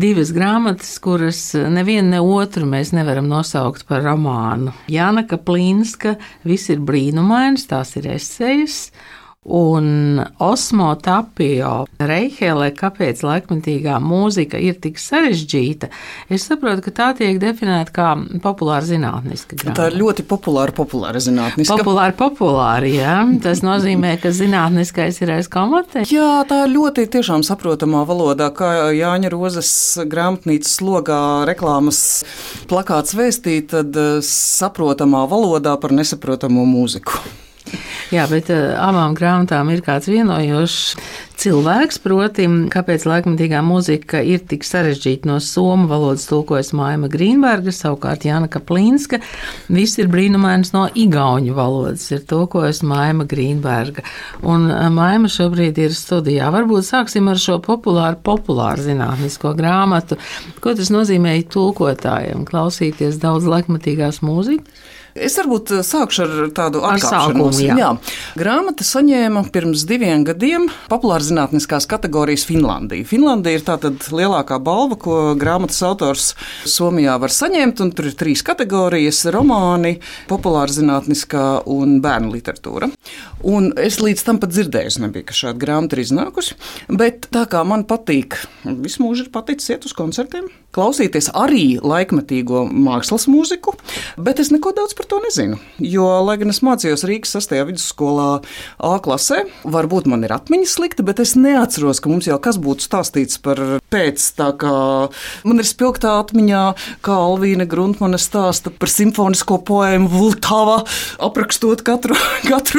Divas grāmatas, kuras nevienu ne otru mēs nevaram nosaukt par romānu. Jāna Kaplīnska Viss ir brīnumains, tās ir esejas. Un Osmo Tapio Reihele, kāpēc laikmetīgā mūzika ir tik sarežģīta, es saprotu, ka tā tiek definēta kā populāra zinātniska grāmata. Tā ir ļoti populāra zinātniska. Populāri, jā. Tas nozīmē, ka zinātniskais ir aiz komata. Jā, tā ir ļoti tiešām saprotamā valodā, kā Jāņa Rozes grāmatnīcas logā reklāmas plakāts vēstīt, tad saprotamā valodā par nesaprotamo mūziku. Jā, bet abām grāmatām ir kāds vienojošs cilvēks, proti, kāpēc laikmetīgā mūzika ir tik sarežģīta. No somu valodas tulkojas Maima Grīnberga, savukārt Jāna Kaplīnska Viss ir brīnumains no igauņu valodas ir tulkojas Maima Grīnberga. Un Maima šobrīd ir studijā. Varbūt sāksim ar šo populāru zinātnisko grāmatu. Ko tas nozīmē tulkotājiem? Klausīties daudz laikmetīgās mūzikas? Es varbūt sākšu ar tādu atkāpšanos. Jā. Grāmata saņēma pirms 2 gadiem populārzinātniskās kategorijas Finlandija. Finlandija ir tātad lielākā balva, ko grāmatas autors Somijā var saņemt, un tur ir 3 kategorijas - romāni, populārzinātniskā un bērnu literatūra. Un es līdz tam pat dzirdējusi nebija, ka šāda grāmata ir iznākusi, bet tā kā man patīk, visu mūžu ir paticis iet uz koncertiem, klausīties arī laikmetīgo mākslas mūziku, bet es neko daudz par to nezinu. Jo, lai gan es mācījos Rīgas 6. vidusskolā A klasē, varbūt man ir atmiņas slikta, bet es neatceros, ka mums jau kas būtu stāstīts par pēc. Tā kā man ir spilgtā atmiņā, kā Alvīna Gruntmane stāsta par simfonisko poēmu Vultava, aprakstot katru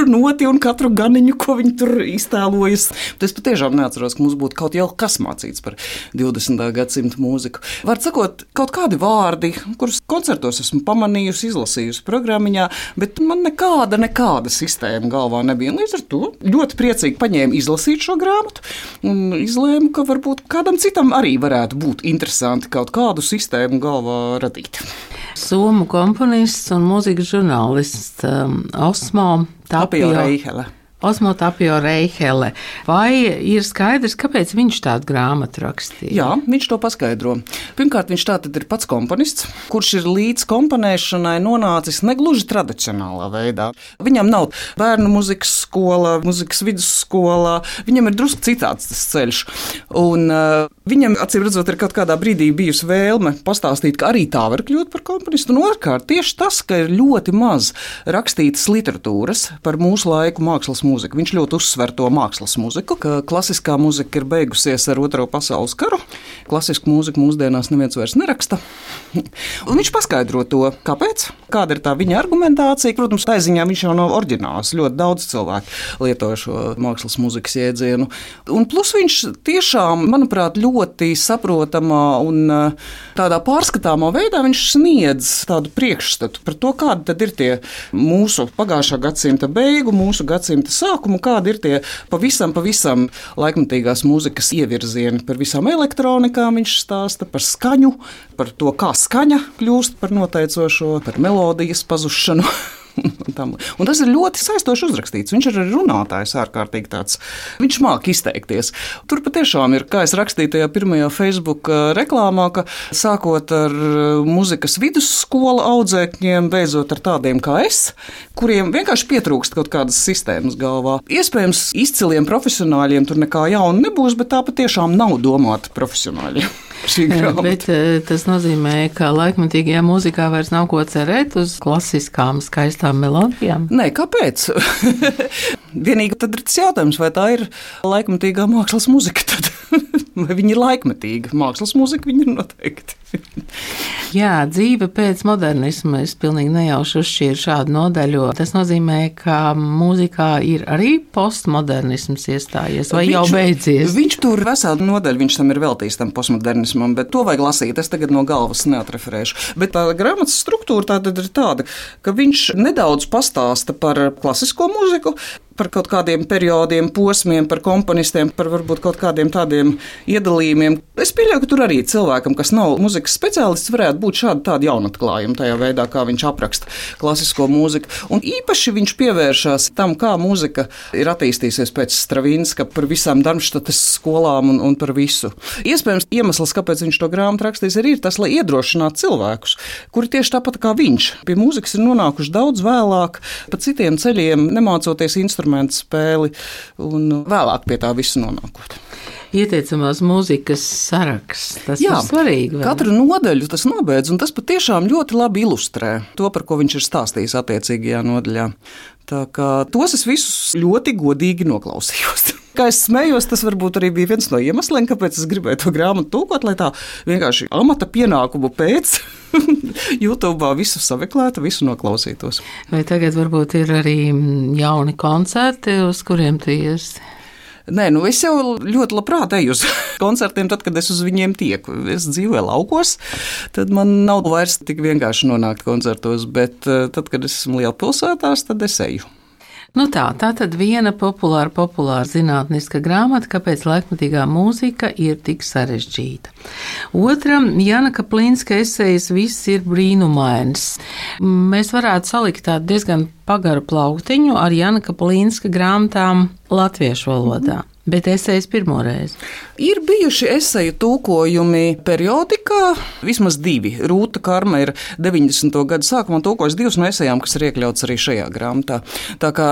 noti un katru ganiņu, ko viņi tur iztēlojas. Bet es patiešām neatceros, ka mums būtu kaut jau kas mācīts par 20. gadsimta mūziku. Var sakot, kaut kādi vārdi, kurus koncertos esmu pamanījusi, izlasījusi programmiņā, bet man nekāda sistēma galvā nebija. Līdz ar to ļoti priecīgi paņēmu izlasīt šo grāmatu un izlēmu, ka varbūt kādam citam arī varētu būt interesanti kaut kādu sistēmu galvā radīt. Somu komponists un mūzikas žurnālists Osmo Tapio Reihele. Osmo Tapio Reihele. Vai ir skaidrs, kāpēc viņš tādu grāmatu rakstīja? Jā, viņš to paskaidro. Pirmkārt, viņš tātad ir pats komponists, kurš ir līdz komponēšanai nonācis negluži tradicionālā veidā. Viņam nav bērnu muzikas skola, muzikas vidusskola, viņam ir drusku citāds tas ceļš. Un viņam, acīm redzot, ir kaut kādā brīdī bijusi vēlme pastāstīt, ka arī tā var kļūt par komponistu. Un otrkārt, tieši tas, ka ir ļoti maz rakstītas literatūras par mūsu laiku mākslas mūziku. Viņš ļoti uzsver to mākslas mūziku, ka klasiskā mūzika ir beigusies ar Otro pasaules karu. Klasisku mūziku mūsdienās neviens vairs neraksta. Un viņš paskaidro to, kāpēc, kāda ir tā viņa argumentācija. Protams, tā ziņā viņš jau nav oriģināls. Ļoti daudz cilvēku lieto šo mākslas mūzikas jēdzienu. Un plus viņš tiešām, manuprāt, ļoti saprotamā un tādā pārskatāmā veidā viņš sniedz tādu priekšstatu par to, kādi tad ir tie mūsu pagājušā gadsimta beigu, mūsu gadsimta sākumu, kādi ir tie pavisam laikmetīgās mūzikas ievirzieni. Par visām elektronikām viņš stāsta, par skaņu, par to, kā skaņa kļūst par noteicošo, par melodijas pazušanu. Un tas ir ļoti saistoši uzrakstīts. Viņš ir arī runātājs ārkārtīgi tāds. Viņš māk izteikties. Tur patiešām ir, kā es rakstīju tajā pirmajā Facebook reklāmā, ka sākot ar muzikas vidusskolu audzēkņiem, beidzot ar tādiem kā es, kuriem vienkārši pietrūkst kaut kādas sistēmas galvā. Iespējams, izciliem profesionāļiem tur nekā jauna nebūs, bet tā patiešām nav domāta profesionāļiem. Bet tas nozīmē, ka laikmetīgajā mūzikā vairs nav ko cerēt uz klasiskām, skaistām melodijām? Nē, kāpēc? Vienīgi tad ir tas jautājums, vai tā ir laikmetīgā mākslas mūzika tad? Vai viņa ir laikmetīga? Mākslas mūzika viņa ir noteikti. Jā, dzīve pēc modernisma. Es pilnīgi nejauši uzšķīru šādu nodaļu. Tas nozīmē, ka mūzikā ir arī postmodernisms iestājies vai jau beidzies? Viņš tur veselu nodaļu, viņš tam ir veltījis tam postmodernismam, bet to vajag lasīt. Es tagad no galvas neatreferēšu. Bet tā grāmatas struktūra tātad ir tāda, ka viņš nedaudz pastāsta par klasisko mūziku, par kaut kādiem periodiem, posmiem, par komponistiem, par varbūt kaut kādiem tādiem iedalījumiem. Es pieļauju, ka tur arī cilvēkam, kas nav muzikas speciālists, varētu būt tādi jaunatklājumi tajā veidā, kā viņš apraksta klasisko mūziku. Un īpaši viņš pievēršās tam, kā mūzika ir attīstījusies pēc Stravinska, par visām Darmštates skolām un par visu. Iespējams, iemesls, kāpēc viņš to grāmatu rakstījis, ir tas, lai iedrošinātu cilvēkus, kuri tieši tāpat kā viņš pie mūzikas ir nonākuši daudz vēlāk, pa citiem ceļiem, nemācoties instrumentu spēli un vēlāk pie tā visu nonākot. Ieteicamās mūzikas saraksts, tas ir svarīgi. Vai? Katru nodaļu tas nobeidz, un tas patiešām ļoti labi ilustrē to, par ko viņš ir stāstījis attiecīgajā nodaļā. Tā kā tos es visus ļoti godīgi noklausījos. Kā es smējos, tas varbūt arī bija viens no iemesliem, kāpēc es gribēju to grāmatu tulkot, lai tā vienkārši amata pienākumu pēc YouTube visu sameklētu, visu noklausītos. Vai tagad varbūt ir arī jauni koncerti, uz kuriem tu iesi? Nē, es jau ļoti labprāt eju uz koncertiem, tad, kad es uz viņiem tieku. Es dzīvoju laukos, tad man nav vairs tik vienkārši nonākt koncertos, bet tad, kad es esmu lielpilsētās, tad es eju. Tā tad viena populāra zinātniska grāmata, kāpēc laikmatīgā mūzika ir tik sarežģīta. Otra, Jana Kaplinska esejas Viss ir brīnumains. Mēs varētu salikt tādu diezgan pagaru plauktiņu ar Jana Kaplinska grāmatām latviešu valodā. Bet esejas pirmoreiz. Ir bijuši eseju tulkojumi periodikā, vismaz 2. Rūta Karma ir 90. gadu sākumā tulkojusi 2 no esejām, kas ir iekļauts arī šajā grāmatā. Tā kā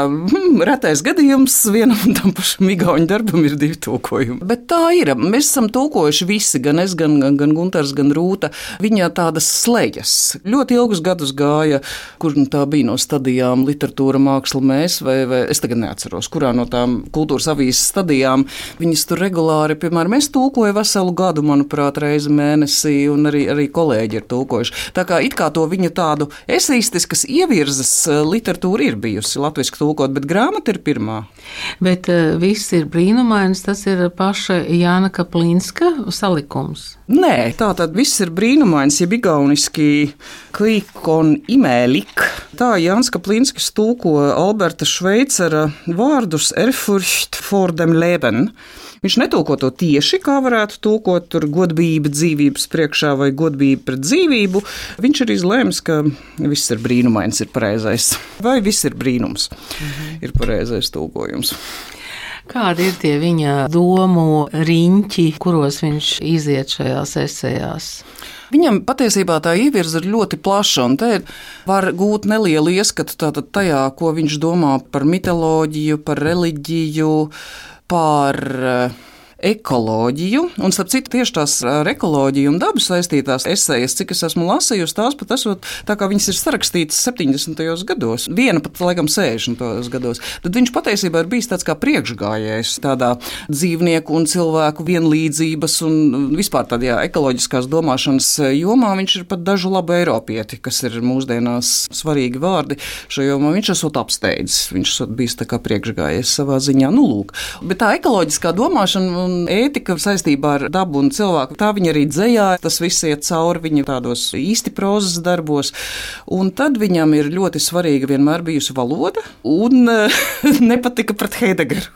retais gadījums vienam un tam pašam igauņu darbam ir 2 tulkojumi. Bet tā ir. Mēs esam tulkojuši visi, gan es, gan Guntars, gan Rūta. Viņa tādas slejas. Ļoti ilgus gadus gāja, kur tā bija no stadijām literatūra, māksla, mēs, vai es tagad neatceros, kurā no tām kultūras avīzes stadijām. Viņas tur regulāri, piemēram, es tulkoju veselu gadu, manuprāt, reizi mēnesī, un arī kolēģi ir tulkojuši. Tā kā it kā to viņa tādu eseistiskas ievirzes literatūra ir bijusi latviski tulkot, bet grāmata ir pirmā. Bet Viss ir brīnumains, tas ir paša Jāna Kaplinska salikums. Nē, tātad Viss ir brīnumains, jeb igauniski Klikon imēlik. Tā Jānis Kaplinskis tulko Alberta Šveicera vārdus Erfurcht vor dem Leben. Viņš netulko to tieši, kā varētu tulkot tur godbība dzīvības priekšā vai godbība pret dzīvību. Viņš ir izlēmis, ka Viss ir brīnumains ir pareizais. Vai Viss ir brīnums ir pareizais tulkojums. Kādi ir tie viņa domu riņķi, kuros viņš iziet šajās esejās? Viņam patiesībā tā ievirze ir ļoti plaša, un te var gūt nelielu ieskatu tajā, ko viņš domā par mitoloģiju, par reliģiju, par ekoloģiju, un starp citu tieši tās ar ekoloģiju un dabu saistītās esejas, cik es esmu lasījusi, tās pat esot tā kā viņas ir sarakstītas 70. gados, viena pat laikam 60. gados, tad viņš patiesībā ir bijis tāds kā priekšgājējs tādā dzīvnieku un cilvēku vienlīdzības un vispār tādā ekoloģiskās domāšanas jomā. Viņš ir pat dažu labu eiropieti, kas ir mūsdienās svarīgi vārdi šajā jomā. Viņš esot apsteidzis, viņš esot bijis tā kā priekšgājējs savā ziņā. Lūk. Bet tā ekoloģiskā domāšana un ētika saistībā ar dabu un cilvēku, tā viņa arī dzejā, tas viss iet cauri viņa tādos īsti prozas darbos, un tad viņam ir ļoti svarīga vienmēr bijusi valoda, un nepatika pret Heidegeru.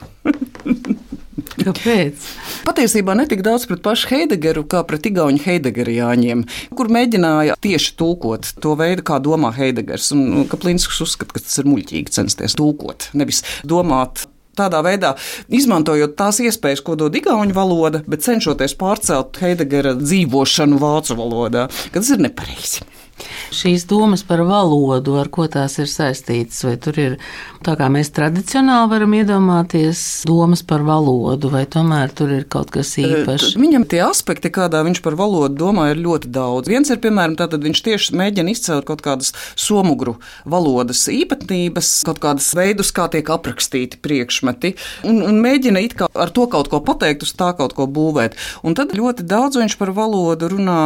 Kāpēc? Patiesībā ne tik daudz pret pašu Heidegeru, kā pret igauņu heidegeriāņiem, kur mēģināja tieši tulkot to veidu, kā domā Heidegers, un Kaplinskis uzskata, ka tas ir muļķīgi censties tulkot, nevis domāt tādā veidā, izmantojot tās iespējas, ko dod igauņu valoda, bet cenšoties pārcelt Heidegera dzīvošanu vācu valodā, ka tas ir nepareizi. Šīs domas par valodu, ar ko tās ir saistītas, vai tur ir tā kā mēs tradicionāli varam iedomāties domas par valodu, vai tomēr tur ir kaut kas īpašs? Viņam tie aspekti, kādā viņš par valodu domā, ir ļoti daudz. Viens ir, piemēram, tātad viņš tieši mēģina izcelt kaut kādas somugru valodas īpatnības, kaut kādas veidus, kā tiek aprakstīti priekšmeti, un mēģina it kā ar to kaut ko pateikt, uz tā kaut ko būvēt. Un tad ļoti daudz viņš par valodu runā.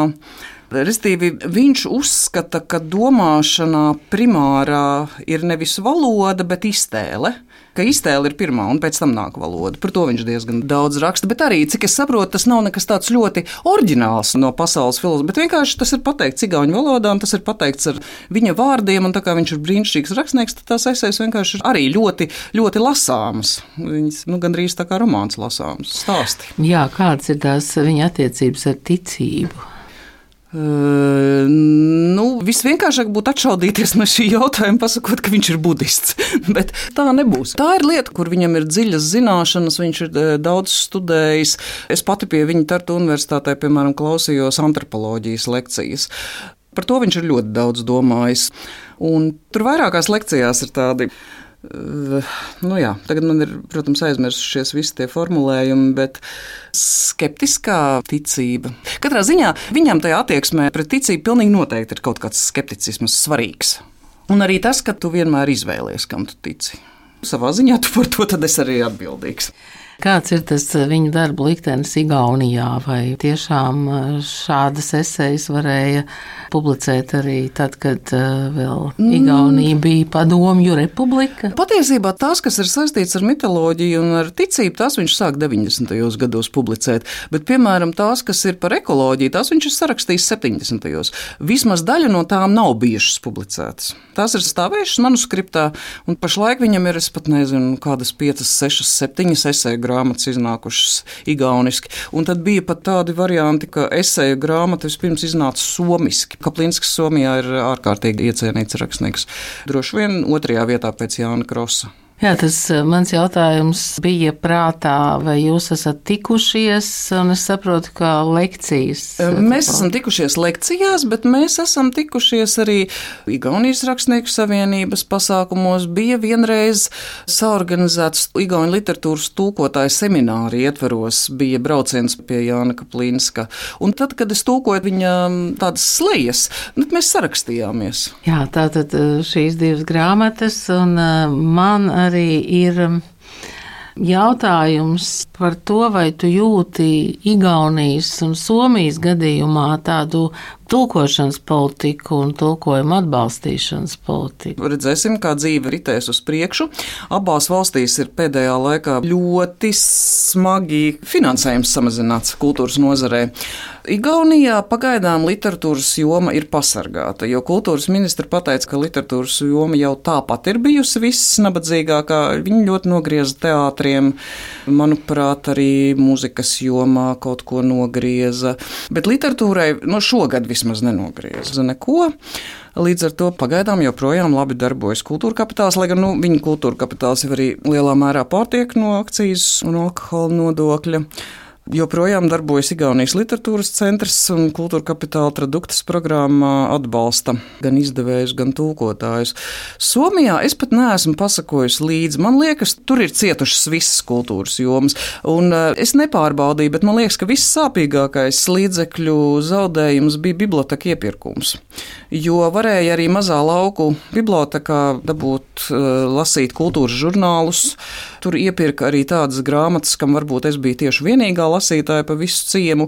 Restīvi, viņš uzskata, ka domāšanā primārā ir nevis valoda, bet iztēle. Ka iztēle ir pirmā un pēc tam nāk valoda. Par to viņš diezgan daudz raksta, bet arī, cik es saprotu, tas nav nekas tāds ļoti oriģināls no pasaules filozofijas, bet vienkārši tas ir pateikts igauņu valodā, un tas ir pateikts ar viņa vārdiem, un tā kā viņš ir brīnišķīgs rakstnieks, tad tās esejas vienkārši ir arī ļoti, ļoti lasāmas. Viņas, gandrīz tā kā romāns lasāms stāsti. Jā, kādas ir tās viņa attiecības ar ticību? Visvienkāršāk būtu atšaudīties no šī jautājuma, pasakot, ka viņš ir budists. Bet tā nebūs. Tā ir lieta, kur viņam ir dziļas zināšanas, viņš ir daudz studējis. Es pati pie viņa Tartu universitātē, piemēram, klausījos antropoloģijas lekcijas. Par to viņš ir ļoti daudz domājis. Un tur vairākās lekcijās ir tādi. Tagad man ir, protams, aizmirsušies visi tie formulējumi, bet skeptiskā ticība. Katrā ziņā viņam tajā attieksmē pret ticību pilnīgi noteikti ir kaut kāds skepticisms svarīgs. Un arī tas, ka tu vienmēr izvēlies, kam tu tici. Savā ziņā tu par to tad esi arī atbildīgs. Kāds ir tas viņa darba liktenis Igaunijā? Vai tiešām šādas esejas varēja publicēt arī tad, kad vēl Igaunija bija padomju republika? Patiesībā tās, kas ir saistīts ar mitoloģiju un ar ticību, tās viņš sāk 90. gados publicēt. Bet, piemēram, tās, kas ir par ekoloģiju, tās viņš ir sarakstījis 70. Vismaz daļa no tām nav bijušas publicētas. Tās ir stāvējušas manuskriptā, un pašlaik viņam ir, es pat nezinu, kādas 5, 6, 7 eseju grāmatas iznākušas igauniski. Un tad bija pat tādi varianti, ka eseju grāmata vispirms iznāca somiski. Kaplinskas Somijā ir ārkārtīgi iecienīts rakstnieks. Droši vien 2. vietā pēc Jāna Krosa. Jā, tas mans jautājums bija prātā, vai jūs esat tikušies, un es saprotu, ka lekcijas. Mēs esam tikušies lekcijās, bet mēs esam tikušies arī Igaunijas rakstnieku savienības pasākumos. Bija vienreiz saorganizēts Igauņu literatūras tulkotāju semināri ietveros, bija brauciens pie Jāna Kaplinska. Un tad, kad es tulkoju viņa tādas slejas, mēs sarakstījāmies. Jā, tātad šīs 2 grāmatas, un man arī ir jautājums par to, vai tu jūti Igaunijas un Somijas gadījumā tādu tulkošanas politiku un tulkojuma atbalstīšanas politiku. Redzēsim, kā dzīve ritēs uz priekšu. Abās valstīs ir pēdējā laikā ļoti smagi finansējums samazināts kultūras nozarē. Igaunijā pagaidām literatūras joma ir pasargāta, jo kultūras ministra pateica, ka literatūras joma jau tāpat ir bijusi viss nabadzīgākā. Viņi ļoti nogrieza teātriem, manuprāt, arī mūzikas jomā kaut ko nogrieza. Bet literatūrai šogad vismaz nenogrieza neko. Līdz ar to pagaidām joprojām labi darbojas kultūra kapitāls, lai gan viņa kultūra kapitāls jau arī lielā mērā pārtiek no akcijas un alkohola nodokļa. Joprojām darbojas Igaunijas literatūras centrs un kultūra kapitāla traduktas programmā atbalsta gan izdevējus, gan tulkotājus. Somijā es pat neesmu pasakojusi līdzi. Man liekas, tur ir cietušas visas kultūras jomas. Un es nepārbaudīju, bet man liekas, ka viss sāpīgākais līdzekļu zaudējums bija biblioteka iepirkums. Jo varēja arī mazā lauku bibliotekā dabūt lasīt kultūras žurnālus. Tur iepirka arī tādas grāmatas, kam varbūt es biju tieši vienīgā lasītāja pa visu ciemu.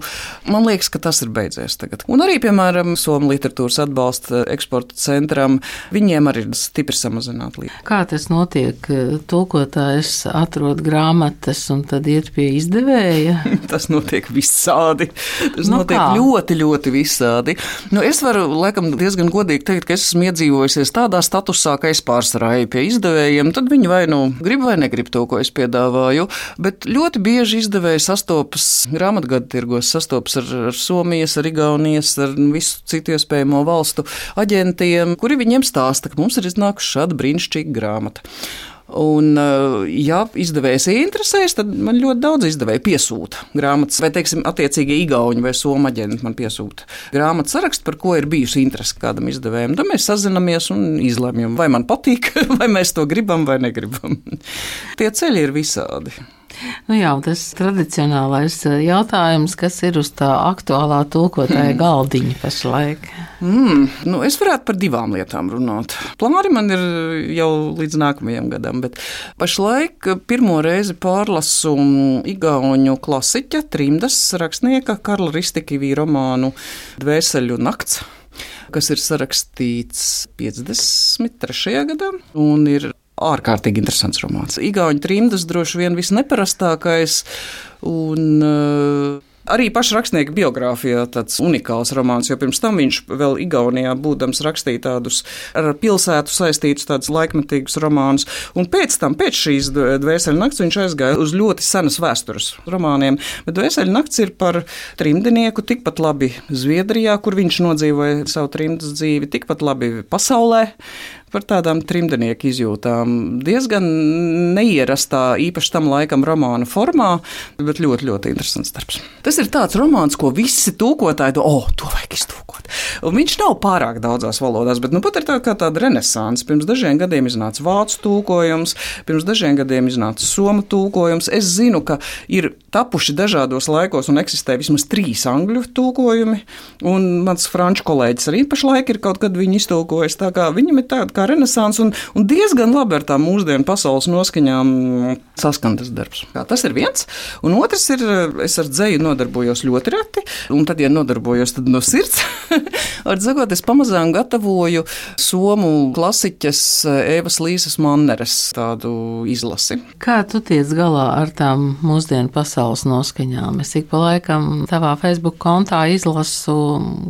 Man liekas, ka tas ir beidzies tagad. Un arī, piemēram, Somu literatūras atbalsta eksporta centram, viņiem arī ir stipri samazināta līdzi. Kā tas notiek? Tulkotājs atrod grāmatas un tad iet pie izdevēja? Tas notiek visādi. Tas notiek ļoti, ļoti visādi. Es varu, laikam, diezgan godīgi teikt, ka es esmu iedzīvojusies tādā statusā, ka es pārsvarā eju pie izdevējiem, tad viņi vai grib vai negrib to, ko es piedāvāju, bet ļoti bieži izdevēji sastopas grāmatgadu tirgos, sastopas ar Somijas, ar Igaunijas, ar visu citu iespējamo valstu aģentiem, kuri viņiem stāsta, ka mums ir iznākuši šāda brīnišķīga grāmata. Un, ja izdevējs interesēs, tad man ļoti daudz izdevēju piesūta grāmatas, vai, teiksim, attiecīgi igauņu vai somu aģenti man piesūta grāmatas sarakstu, par ko ir bijusi interese kādam izdevējam. Tad mēs sazinamies un izlemjam, vai man patīk, vai mēs to gribam vai negribam. Tie ceļi ir visādi. Jā, tas tradicionālais jautājums, kas ir uz tā aktuālā tulkotāja galdiņa pašlaik? Es varētu par 2 lietām runāt. Plāni man ir jau līdz nākamajam gadam, bet pašlaik pirmo reizi pārlasu igauņu klasiķa, trimdas rakstnieka Karla Ristikivī romānu Dvēseļu nakts, kas ir sarakstīts 53. gadā un ir ārkārtīgi interesants romāns. Igauņu trimdas droši vien visneparastākais un Arī paša rakstnieka biogrāfijā tāds unikāls romāns, jo pirms tam viņš vēl Igaunijā būdams rakstīja tādus ar pilsētu saistītus tādus laikmetīgus romānus, un pēc šīs Dvēseļu nakts viņš aizgāja uz ļoti senas vēstures romāniem, bet Dvēseļu nakts ir par trimdnieku, tikpat labi Zviedrijā, kur viņš nodzīvoja savu trimdas dzīvi, tikpat labi pasaulē, par tādām trimdnieku izjūtām. Diezgan neierastā, īpaši tam laikam romāna formā, bet ļoti, ļoti interesants darbs. Tas ir tāds romāns, ko visi tūkotāji to vajag iztūkot. Un viņš nav pārāk daudzās valodās, bet pat ir tāda renesanse. Pirms dažiem gadiem iznāca vācu tūkojums, pirms dažiem gadiem iznāca somu tūkojums. Es zinu, ka ir tapuši dažādos laikos un eksistē vismaz 3 angļu tūkojumi, un mans franču kolēģis arī pašlaik ir kaut kad viņu iztūkojis, tā kā viņam ir tāda kā renesanse un diezgan labi ar tām mūsdienu pasaules noskaņām saskan tas darbs. Tas ir viens, un otrs ir, es ar dzeju nodarbojos ļoti reti, un tad, ja nodarbojos, tad no sirds. Ar dzekot, es pamazām gatavoju somu klasiķes Evas Līsas Manneres tādu izlasi. Kā tu tiec galā ar tām mūsdienu pasaules noskaņām? Es ik pa laikam tavā Facebook kontā izlasu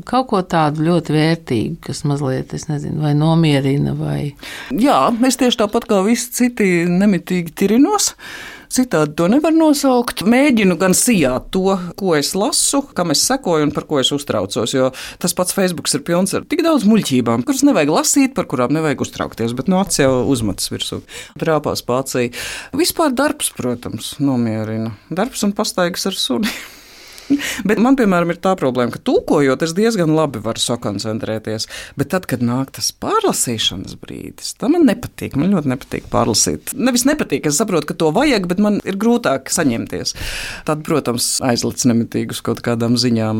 kaut ko tādu ļoti vērtīgu, kas mazliet, es nezinu, vai nomierina, vai... Jā, es tieši tāpat kā visi citi nemitīgi tirinos. Citādi to nevar nosaukt. Mēģinu gan sijāt to, ko es lasu, kam es sekoju un par ko es uztraucos, jo tas pats Facebooks ir pilns ar tik daudz muļķībām, kuras nevajag lasīt, par kurām nevajag uztraukties, bet no acis jau uzmetas virsū. Trāpās pācī. Vispār darbs, protams, nomierina. Darbs un pastaigas ar suni. Bet man, piemēram, ir tā problēma, ka tūkojot, es diezgan labi varu sakoncentrēties, bet tad, kad nāk tas pārlasīšanas brīdis, tā man nepatīk, man ļoti nepatīk pārlasīt. Nevis nepatīk, es saprotu, ka to vajag, bet man ir grūtāk saņemties. Tad, protams, aizlic nemitīgi uz kaut kādām ziņām.